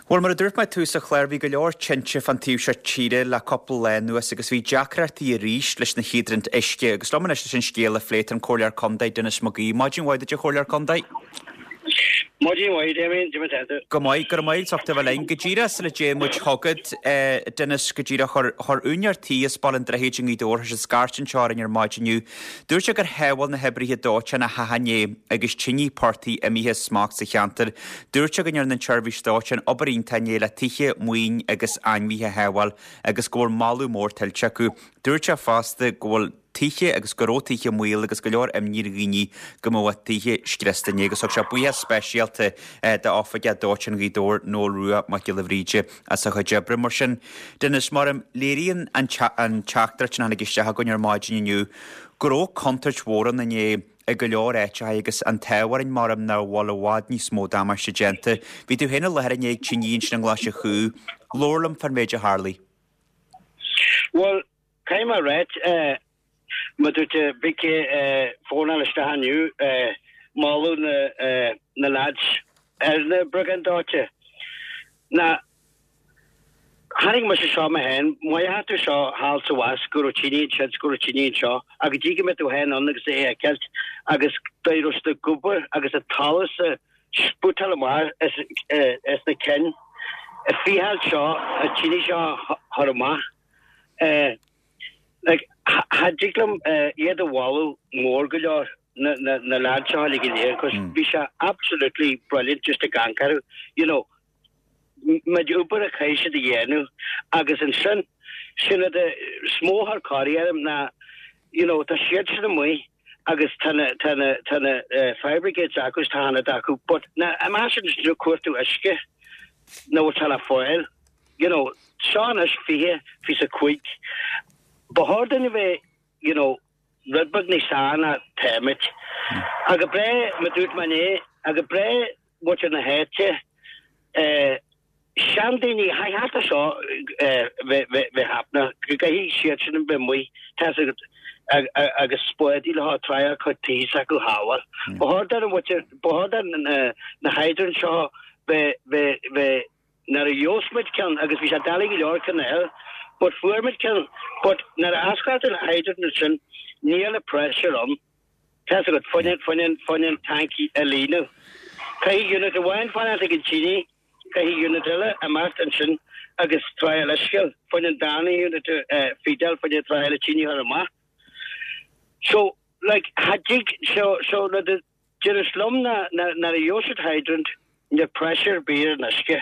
Bhuel, mar a dúirt mé ag tús an chláir, bhí go leor tinte fán taobh seo tíre le cúpla lá anuas agus bhí deacrachtaí arís leis na híodraint uisce. Agus liom anois leis an scéal a phlé tá an Comhairleoir Contae, Denis Mac Aoidh. Maidin mhaith duit, a Chomhairleoir Contae. Maidin mhaith, Damien. Cad é mar atá tú? Go maith, go raibh maith agat as ucht a bheith linn. Go díreach sula dtéann muid chugat, Denis, go díreach, chuir úinéir tí as Baile an Droichid i nGaoth Dobhair, théis scairt anseo orainn ar maidin inniu. Dúirt sé gur shábháil na hoibrithe dóiteáin a theach inné agus tine portaigh imithe as smacht sa cheantar. Dúirt sé go ndearna an tseirbhís dóiteáin obair iontach inné le tithe, maoin agus ainmhithe a shábháil agus go bhfuil moladh mór tuillte acu. Dúirt sé fosta go bhfuil tithe agus go raibh tithe i mbaol agus go leor imní ar dhaoine go mbeadh a dtithe scriosta inné agus thug sé buíochas speisialta d'oifigeach dóiteáin Ghaoth Dobhair, Noel Rua Mac Giolla Bhríde as a chuid oibre. Mar sin, Denis, mar a léiríonn an teachtaireacht sin a tháinig isteach againn ar maidin inniu go raibh contúirt mhór ann inné i go leor áiteacha agus an t-ádh orainn mar nach bhfuil i bhfad níos mó damáiste déanta. Bhí tú féin i láthair inné ag tine ansin i nGlais an Chú. Labhair liom fán mhéid a tharlaigh. Bhuel, caithfidh mé a ráit, mar dúirt Vicky fónáil isteach inniu, moladh na lads ar na briogáid dóite. Ná chonaic mise seo mé féin, maífeadh tú seo thall sa bhfas go raibh tine ansin 's go raibh tine anseo, ach go dtí go mbeidh tú féin ann agus é a fheiceáilt agus dóigh a raibh siad ag obair agus an talamh ag spútáil amach as na cinn, ag fiacháil seo, an tine seo a chur amach. Like, cha dtig liom iad a mholadh mór go leor, na, na, na lads seo uilig go léir, 'cause bhí sé absolutely brilliant just ag amharc orthu, you know. méid obair a chaith siad a dhéanamh agus ansin, sin rud is mó a chuir corraí orm ná you know tá siad sin amuigh agus tá na tá na tá na fire brigades acu is tá an-fhad acu but na imagine ag cuartú uisce nach bhfuil sé le fáil you know seo anois 25 ba chóir dúinn a bheith you know rud beag níos fearr ná táimid. Ach go breá mar dúirt mé inné ach go breá muintir na háite, seandaoine, cha cheart do seo bheith happening, go gcaithfidh siad sin a bheith amuigh, tá fhios agat, agus spádaí leo ag try a cuid tithe s'acu a shábháil. Ba chóir don mhuintir, ba chóir don na hydrants seo bheith, bheith, bheith, nuair a gheobhas muid ceann, agus bhí sé doiligh go leor ceann a fháil, but fuair muid ceann, but nuair a osclaíonn an hydrant ansin, níl an pressure ann. Tá fhios agat, fá choinne, fá choinne, fá choinne an tank a líonadh. Caithfidh unit amháin fanacht ag an tine, caithfidh unit eile imeacht ansin agus try-áil uisce, fá choinne an darna unit a feed-áil, fá choinne try-áil an tine a chur amach. So, like, cha dtig, so, so, rud a deireas liom ná, ná, nuair a gheobhas siad hydrant, níl pressure ar bith ar an uisce.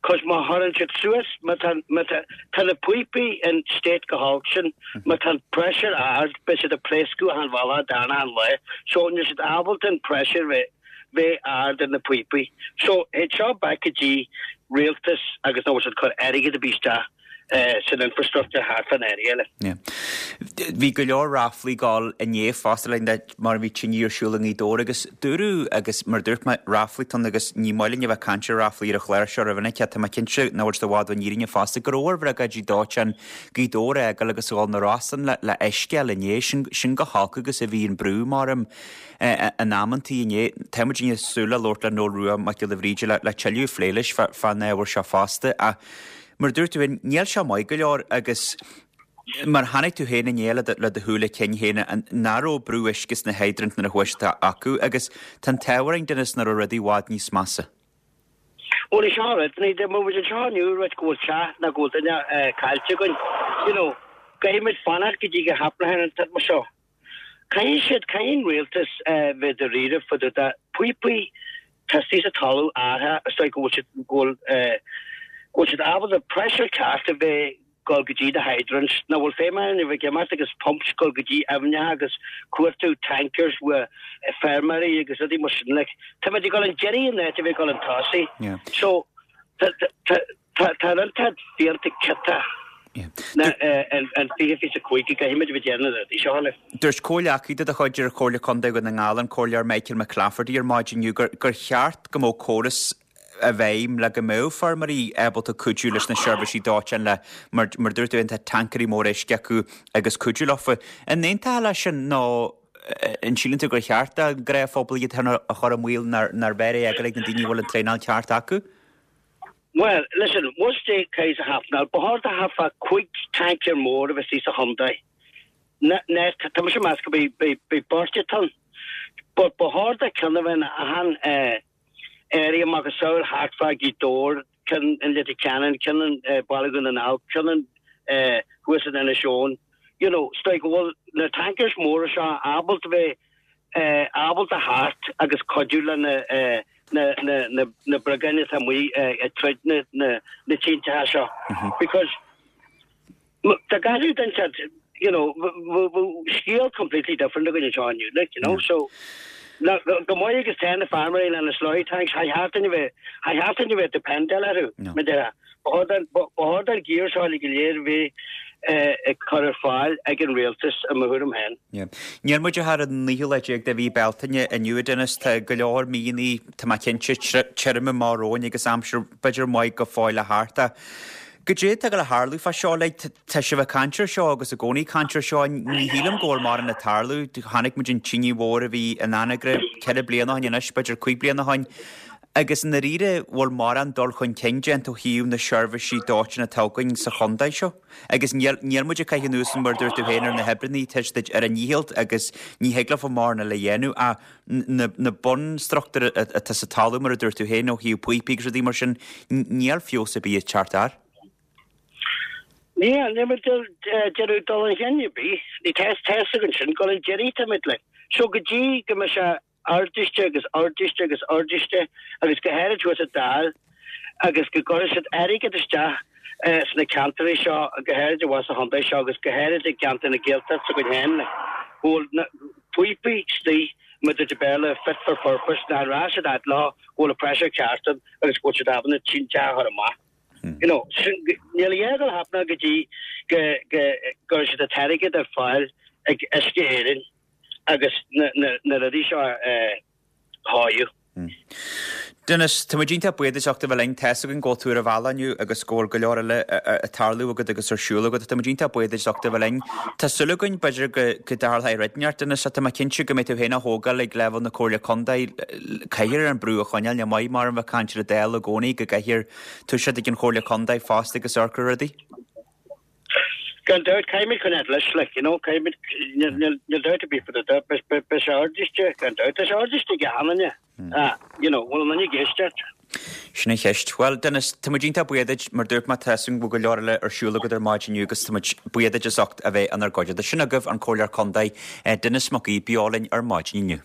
Cos má chuireann siad suas, má tá, má tá, tá na píopaí in state chomh holc sin, má tá an pressure ard, beidh siad ag pléascadh achan bhealach darna achan lá. So níl siad ábalta an pressure bheith, bheith ard ar na píopaí. So théid seo back go dtí rialtas agus nach bhfuil siad ag cur airgead ar bith isteach san infrastructure thart fán area eile. Yeah. Bhí go leor ráflaí ag gabháil inné fosta le mar bhí tine ar siúl i nGaoth Dobhair agus dúradh agus mar a dúirt mé ráflaí atá ann agus ní maith linn a bheith ag caint ar ráflaí ar an chlár seo rómhinic ach tá mé cinnte nach bhfuil siad i bhfad ón fhírinne fosta go raibh ar bhriogáidí dóiteáin Ghaoth Dobhair a fhágáil agus a dhul na Rosann le le uisce a fháil inné. Sin sin chomh holc agus a bhí an brú mar in amantaí inné. Tá muid ag súil le labhairt le Noel Rua Mac Giolla Bhríde le le tuilleadh a phlé leis fán ábhar seo fosta ach Mar a dúirt tú féin, níl sé maith go leor agus mar chonaic tú féin inné le do shúile cinn féin nach raibh brú uisce sna hydrants nuair a chuaigh siad acu agus tá an t-ádh orainn Denis nach raibh rudaí i bhfad níos measa. Bhuel is ea rud, ní dá mbeadh muid anseo inniu rud go bhfuil teach nó go bhfuil duine caillte againn, you know, caithfidh muid fanacht go dtí go happenann an t-rud seo. Caithfidh siad, caithfidh an rialtas bheith dáiríre fá dtaobh de píopaí atá istigh sa talamh athraithe is dóigh go bhfuil siad, go bhfuil, go bhfuil siad ábalta pressure ceart a bheith dul go dtí na hydrants, nach bhfuil feidhm ann a bheith ag imeacht agus pumps dul go dtí aibhneacha agus cuartú tankers with feirmeoirí agus rudaí mar sin like táimid ag dul an deiridh in áit a bheith ag dul an tosaigh. So tá, tá, Tá tá an t-ad fiánta ciotach na an 20 25 go gcaithfimid a bheith déanamh na rudaí seo le. Dúirt comhghleacaí de do chuid ar Chomhairle Contae Dhún na nGall, an Comhairleoir Michael McClafferty ar maidin inniu gur gur cheart go mbeadh córas i bhfeidhm le go mbeadh feirmeoirí ábalta cuidiú leis na seirbhísí dóiteáin le mar mar a dúirt tú féin tá tancaeirí móra uisce acu agus cuidiú leofa. An aontófá leis sin nó an síleann tú gur cheart don ghnáthphobal iad féin a chur i mbaol nár bhfearr é a fhágáil ag na daoine a bhfuil an traenáil ceart acu? Bhuel, listen, once they case a happenáil, ba chóir do thart fá chuig tanker mór a bheith istigh sa chontae. Ná, tá mise ag meas go mbeidh beirt atá ann. But ba chóir do ceann a bheith in achan area macasamhail thart fá Ghaoth Dobhair, ceann in Leitir Ceanainn, ceann in Baile Dhún na nGall, ceann in thuas in Inis Eoghain. You know, is dóigh go bhfuil na tankers móra seo ábalta bheith ábalta theacht agus cuidiú le na na na na briogáidí atá amuigh ag troid na na na tinteacha seo because dá gcaithfeadh duine said you know bheadh scéal completely different againn anseo inniu like you know so go maith agus tá na feirmeoirí lena slurry tanks cha cheart dúinn a bheith cha cheart dúinn a bheith dependent orthu mar déarfá Ba chóir don gear seo uilig go léir a bheith ag cur ar fáil ag an rialtas i mo thuairim féin. Níl muid ach ar an naoú lá déag de mhí Bealtaine inniu, a Dennis. Tá go leor míonna, tá mé cinnte, tirim amach romhainn agus aimsir b'fhéidir maith go fóill le theacht. Ach goidé atá ag gabháil a tharlú fá seo? Like, tá sibh ag caint ar seo agus i gcónaí ag caint ar seo. Ní shílim go bhfuil mórán ag tarlú. Chonaic muid an tine mhór a bhí in Anagaire ceithre bliana ó shin anois, b'fhéidir cuig bliana ó shin. Agus i ndáiríre, bhfuil mórán dul chun cinn déanta ó thaobh na seirbhísí dóiteáin atá againn sa chontae seo. Agus níl, níl muid ag caitheamh anuas, mar a dúirt tú féin, ar na hoibreanna, tá siad ar a ndícheall agus ní thig leofa mórán eile a dhéanamh ach na, na bunstruchtúir atá sa talamh, mar a dúirt tú féin, ó thaobh píopaí agus rudaí mar sin, níl feabhas ar bith ag teacht air. Níl, níl muid ag déanamh dul chun cinn ar bith. Ní tá, tá fhios againn sin, go bhfuil an deireadh táimid like. So go dtí go mbeidh sé ardaiste agus ardaiste agus ardaiste agus go háirid thuas sa Dáil agus go gcuirfidh siad airgead isteach sna ceantair seo, go háirid abhus sa chontae seo agus go háirid i gceantar na Gaeltachta s'againn féin, go bhfuil na píopaí istigh, mar a deir Béarla, fit for purpose, nach raibh siad fhad leo, go bhfuil an pressure ceart ann agus go bhfuil siad ábalta na tinte a chur amach. You know, sin, níl a dhath ag dul a happenáil go dtí go gcuirfidh siad an t-airgead ar fáil ag Uisce Éireann. agus na rudaí seo a chóiriú. Denis, tá muid iontach buíoch as ucht a bheith linn. Tá fhios againn go bhfuil tú ar an bhealach inniu agus go bhfuil go leor eile ag tarlú agat agus ar siúl agat. Tá muid iontach buíoch as ucht a bheith linn. Tá súil againn, b'fhéidir, go dtarlóidh rud inteacht, Denis, ach tá mé cinnte go mbeidh tú féin á thógáil ag leibhéal na Comhairle Contae. Caithfear an brú a choinneáil, ní maith mar a bheith ag caint ar an Dáil i gcónaí, go gcaithfear toiseacht ag an Chomhairle Contae fosta agus amharc ar rudaí. Gan dabht, caithfimid coinneáil leis, like, you know, caithfimid, níl dabht ar bith faoi do, beidh sé ardaiste, gan dabht, tá sé ardaiste ag achan duine, ah, you know, bhfuil an duine ag éisteacht? Sin an cheist. Bhuel, Denis, tá muid iontach buíoch duit, mar dúirt mé, tá fhios agam go bhfuil go leor eile ar siúl agat ar maidin inniu agus tá muid buíoch duit as ucht a bheith inár gcuideachta. Sin agaibh an Comhairleoir Contae, Denis Mac Aoidh, beo linn ar maidin inniu.